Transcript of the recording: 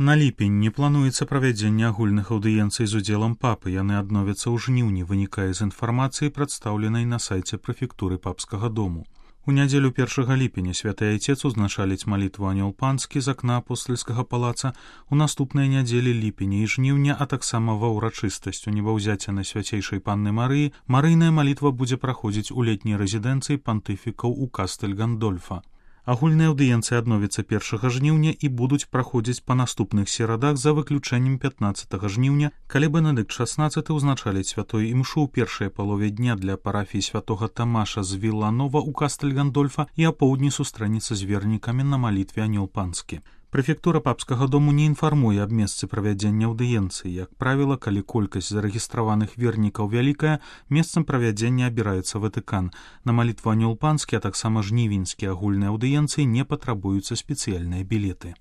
На ліпень не плануецца правядзенне агульных аўдыенцый з удзелам папы, яны адновяцца ў жніўні, вынікае з інфармацыі, прадстаўленай на сайце прэфектуры папскага дому. У нядзелю 1 ліпеня святы айцец узначаліць малітву анёл панскі з акна апостальскага палаца, у наступныя нядзелі ліпеня і жніўня, а таксама ва ўрачыстасць у небаўзяцця на свяцейшай панны Марыі, марыйная малітва будзе праходзіць у летняй рэзідэнцыі пантыфікаў у Кастэль Гандольфа. Агульныя аўдыенцыі адновяцца 1 жніўня і будуць праходзіць па наступных серадах за выключэннем 15 жніўня, калі Бенедыкт XVI ўзначаліць святой імшу ў першай палове дня для парафіі святога Тамаша з Вілланова ў Кастэль Гандольфа і апоўдні сустрэнецца з вернікамі на малітве анёл панскі. Прэфектура папскага дому не інфармуе аб месцы правядзення аўдыенцыі. Як правіла, калі колькасць зарэгістраваных вернікаў вялікая, месцам правядзення абіраецца Ватыкан. На малітву анёл панскі, а таксама жнівеньскія агульныя аўдыенцыі не патрабуюцца спецыяльныя білеты.